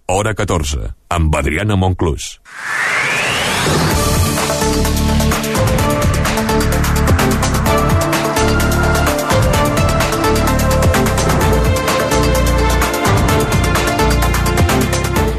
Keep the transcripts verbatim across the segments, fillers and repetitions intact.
hora catorze, amb Adriana Monclús.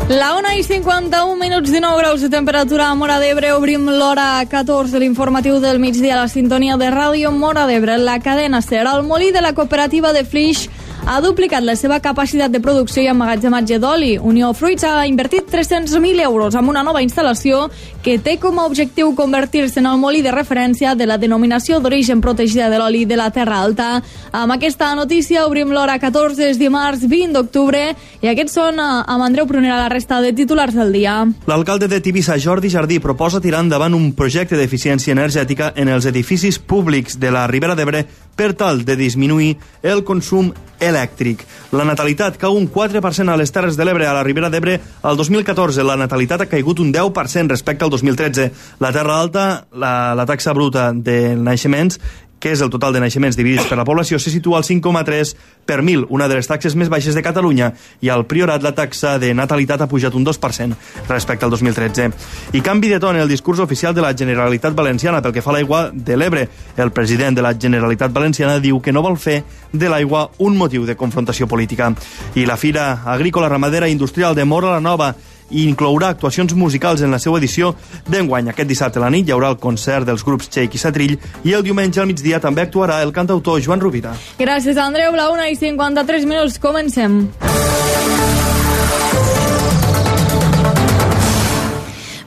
La una i cinquanta-un minuts, dinou graus de temperatura a Móra d'Ebre. Obrim l'hora catorze de l'informatiu del migdia a la sintonia de Ràdio Móra d'Ebre. La cadena SER, el molí de la cooperativa de Flix, ha duplicat la seva capacitat de producció i emmagatzematge d'oli. Unió Fruits ha invertit tres-cents mil euros en una nova instal·lació que té com a objectiu convertir-se en el molí de referència de la denominació d'origen protegida de l'oli de la Terra Alta. Amb aquesta notícia obrim l'hora catorze, és dimarts vint d'octubre, i aquests són, amb Andreu Prunera, la resta de titulars del dia. L'alcalde de Tivissa, Jordi Jardí, proposa tirar endavant un projecte d'eficiència energètica en els edificis públics de la Ribera d'Ebre per tal de disminuir el consum elèctric. La natalitat cau un quatre per cent a les Terres de l'Ebre. A la Ribera d'Ebre, el dos mil catorze, la natalitat ha caigut un deu per cent respecte al dos mil tretze. La Terra Alta, la, la taxa bruta de naixements, que és el total de naixements dividits per la població, se situa al cinc coma tres per mil, una de les taxes més baixes de Catalunya, i al Priorat la taxa de natalitat ha pujat un dos per cent respecte al dos mil tretze. I canvi de to en el discurs oficial de la Generalitat Valenciana pel que fa a l'aigua de l'Ebre. El president de la Generalitat Valenciana diu que no vol fer de l'aigua un motiu de confrontació política. I la Fira Agrícola, Ramadera i Industrial de Móra la Nova i inclourà actuacions musicals en la seva edició d'enguany. Aquest dissabte a la nit hi haurà el concert dels grups Txec i Satrill, i el diumenge al migdia també actuarà el cantautor Joan Rovira. Gràcies, Andreu. La una i cinquanta-tres minuts, comencem.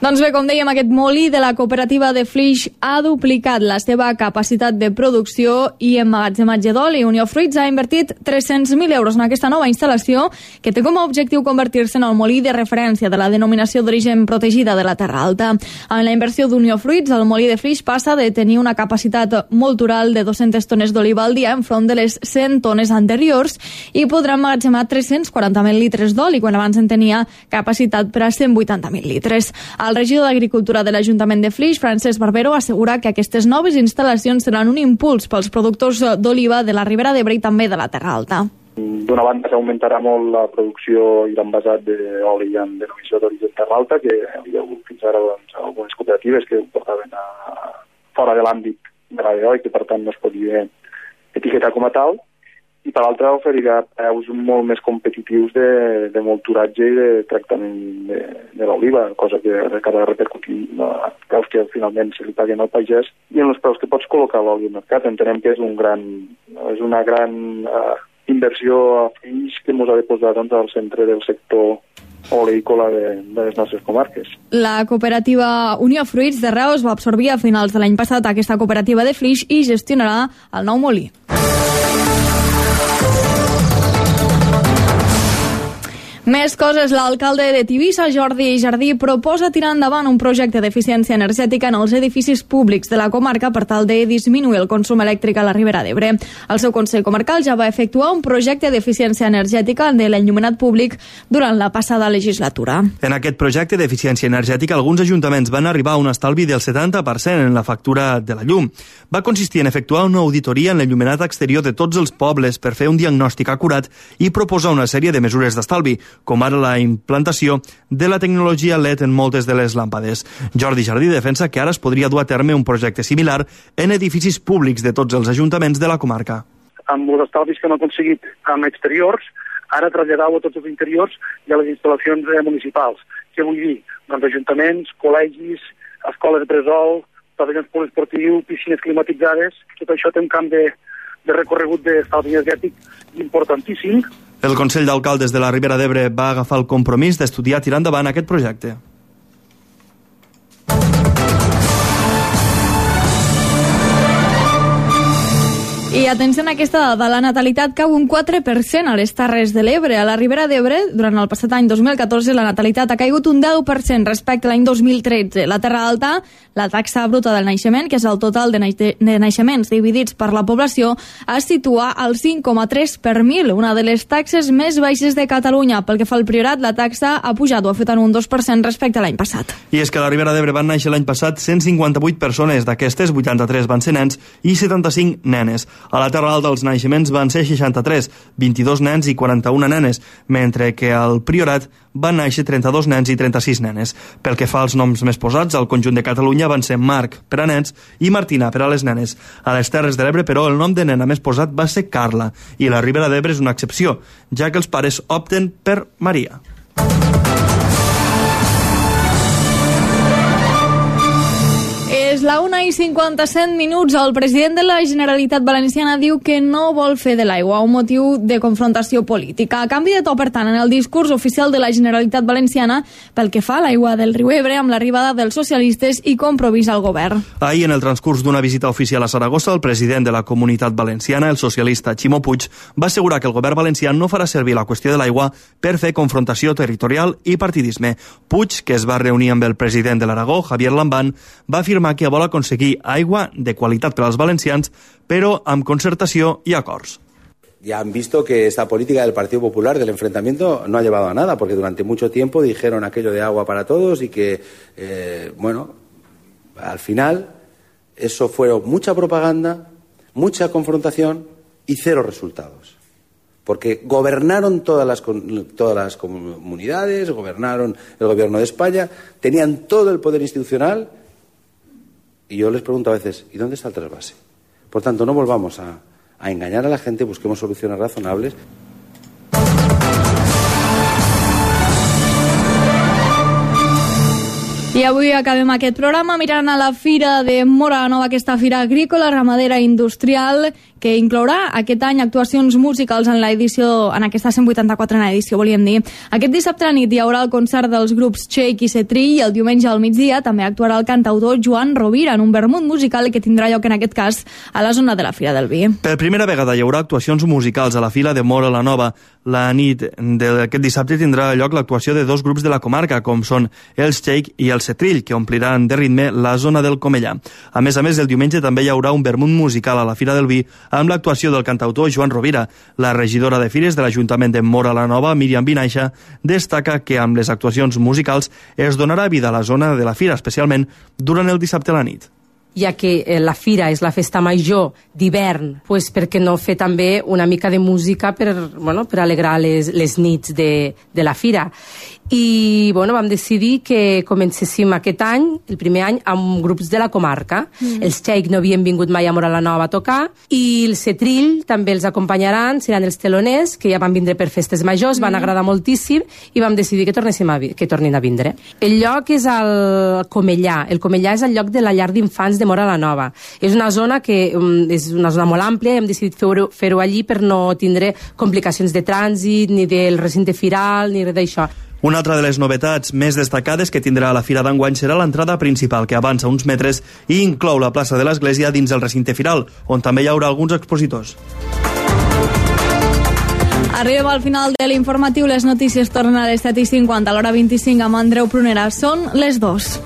Doncs bé, com dèiem, aquest molí de la cooperativa de Flix ha duplicat la seva capacitat de producció i emmagatzematge d'oli. Unió Fruits ha invertit tres-cents mil euros en aquesta nova instal·lació que té com a objectiu convertir-se en el molí de referència de la denominació d'origen protegida de la Terra Alta. En la inversió d'Unió Fruits, el molí de Flix passa de tenir una capacitat moltural de dues-centes tones d'oliva al dia enfront de les cent tones anteriors, i podrà emmagatzemar tres-cents quaranta mil litres d'oli, quan abans en tenia capacitat per a cent vuitanta mil litres. El regidor d'Agricultura de l'Ajuntament de Flix, Francesc Barbero, assegura que aquestes noves instal·lacions seran un impuls pels productors d'oliva de la Ribera d'Ebre i també de la Terra Alta. D'una banda, s'augmentarà molt la producció i l'envasat d'oli en denominació d'origen Terra Alta, que hi havia hagut fins ara doncs, algunes cooperatives que ho portaven a, fora de l'àmbit de la d'oli, que per tant no es podia etiquetar com a tal. I per l'altra oferirà preus molt més competitius de, de molturatge i de tractament de, de l'oliva, cosa que acaba repercutir en els preus que finalment se li paguen al pagès i en els preus que pots col·locar l'oli al mercat. Entenem que és, un gran, és una gran uh, inversió a Flix que ens ha de posar doncs, al centre del sector oleícola de, de les nostres comarques. La cooperativa Unió Fruits de Reus va absorbir a finals de l'any passat aquesta cooperativa de Flix i gestionarà el nou molí. Més coses. L'alcalde de Tivissa, Jordi Jardí, proposa tirar endavant un projecte d'eficiència energètica en els edificis públics de la comarca per tal de disminuir el consum elèctric a la Ribera d'Ebre. El seu Consell Comarcal ja va efectuar un projecte d'eficiència energètica de l'enllumenat públic durant la passada legislatura. En aquest projecte d'eficiència energètica, alguns ajuntaments van arribar a un estalvi del setanta per cent en la factura de la llum. Va consistir en efectuar una auditoria en l'enllumenat exterior de tots els pobles per fer un diagnòstic acurat i proposar una sèrie de mesures d'estalvi, com ara la implantació de la tecnologia L E D en moltes de les làmpades. Jordi Jardí defensa que ara es podria dur a terme un projecte similar en edificis públics de tots els ajuntaments de la comarca. Amb els estalvis que hem aconseguit amb exteriors, ara traslladar-ho a tots els interiors i a les instal·lacions municipals. Què vull dir? Doncs ajuntaments, col·legis, escoles de bressol, pavellons poliesportius, piscines climatitzades, tot això té un camp de, de recorregut d'estalvi energètic importantíssim. El Consell d'Alcaldes de la Ribera d'Ebre va agafar el compromís d'estudiar tirar endavant aquest projecte. I atenció a aquesta dada, la natalitat cau un quatre per cent a les Terres de l'Ebre. A la Ribera d'Ebre, durant el passat any dos mil catorze, la natalitat ha caigut un deu per cent respecte a l'any dos mil tretze. La Terra Alta, la taxa bruta del naixement, que és el total de, naix de naixements dividits per la població, es situa al cinc coma tres per mil, una de les taxes més baixes de Catalunya. Pel que fa al Priorat, la taxa ha pujat o ha fet en un dos per cent respecte a l'any passat. I és que a la Ribera d'Ebre van néixer l'any passat cent cinquanta-vuit persones, d'aquestes vuitanta-tres van ser nens i setanta-cinc nenes. A la Terra Alta els naixements van ser seixanta-tres, vint-i-dos nens i quaranta-una nenes, mentre que al Priorat van néixer trenta-dos nens i trenta-sis nenes. Pel que fa als noms més posats, al conjunt de Catalunya van ser Marc per a nens i Martina per a les nenes. A les Terres de l'Ebre, però, el nom de nena més posat va ser Carla, i la Ribera d'Ebre és una excepció, ja que els pares opten per Maria. És la una i cinquanta-set minuts. El president de la Generalitat Valenciana diu que no vol fer de l'aigua un motiu de confrontació política. A canvi de to, per tant, en el discurs oficial de la Generalitat Valenciana pel que fa a l'aigua del riu Ebre amb l'arribada dels socialistes i Compromís al govern. Ahir, en el transcurs d'una visita oficial a Saragossa, el president de la Comunitat Valenciana, el socialista Ximo Puig, va assegurar que el govern valencià no farà servir la qüestió de l'aigua per fer confrontació territorial i partidisme. Puig, que es va reunir amb el president de l'Aragó, Javier Lambán, va afirmar que vol aconseguir aigua de qualitat per als valencians, però amb concertació i acords. Ya han visto que esta política del Partido Popular del enfrentamiento no ha llevado a nada, porque durante mucho tiempo dijeron aquello de agua para todos y que, eh, bueno, al final eso fue mucha propaganda, mucha confrontación y cero resultados. Porque gobernaron todas las, todas las comunidades, gobernaron el gobierno de España, tenían todo el poder institucional. Y yo les pregunto a veces, ¿y dónde está el trasvase? Por tanto, no volvamos a, a engañar a la gente, busquemos soluciones razonables. I avui acabem aquest programa mirant a la Fira de Móra la Nova, aquesta fira agrícola, ramadera i industrial, que inclourà aquest any actuacions musicals en l'edició, en aquesta cent vuitanta-quatrena edició, volíem dir. Aquest dissabte a la nit hi haurà el concert dels grups Shake i Cetrill, i el diumenge al migdia també actuarà el cantautor Joan Rovira en un vermut musical que tindrà lloc en aquest cas a la zona de la Fira del Vi. Per primera vegada hi haurà actuacions musicals a la Fira de Móra la Nova. La nit d'aquest dissabte tindrà lloc l'actuació de dos grups de la comarca, com són els Shake i el Cetrill, que ompliran de ritme la zona del Comellà. A més a més, el diumenge també hi haurà un vermut musical a la Fira del Vi amb l'actuació del cantautor Joan Rovira. La regidora de Fires de l'Ajuntament de Móra la Nova, Míriam Vinaixa, destaca que amb les actuacions musicals es donarà vida a la zona de la Fira, especialment durant el dissabte a la nit. Ja que la Fira és la festa major d'hivern, pues per què no fer també una mica de música per, bueno, per alegrar les, les nits de, de la Fira. I bueno, vam decidir que comencéssim aquest any, el primer any, amb grups de la comarca. Mm. Els Shake no havien vingut mai a Móra la Nova a tocar, i el Cetrill també els acompanyaran, seran els teloners, que ja van vindre per festes majors, mm. van agradar moltíssim, i vam decidir que, tornéssim a, que tornin a vindre. El lloc és al Comellà. El Comellà és el lloc de la llar d'infants de Móra la Nova. És una zona que um, és una zona molt àmplia, i hem decidit fer-ho fer-ho allí per no tindre complicacions de trànsit, ni del recinte firal, ni res d'això. Una altra de les novetats més destacades que tindrà la Fira d'enguany serà l'entrada principal, que avança uns metres i inclou la plaça de l'Església dins el recinte firal, on també hi haurà alguns expositors. Arribem al final de l'informatiu. Les notícies tornen a les set i cinquanta, a l'hora vint-i-cinc amb Andreu Prunera. Són les dos.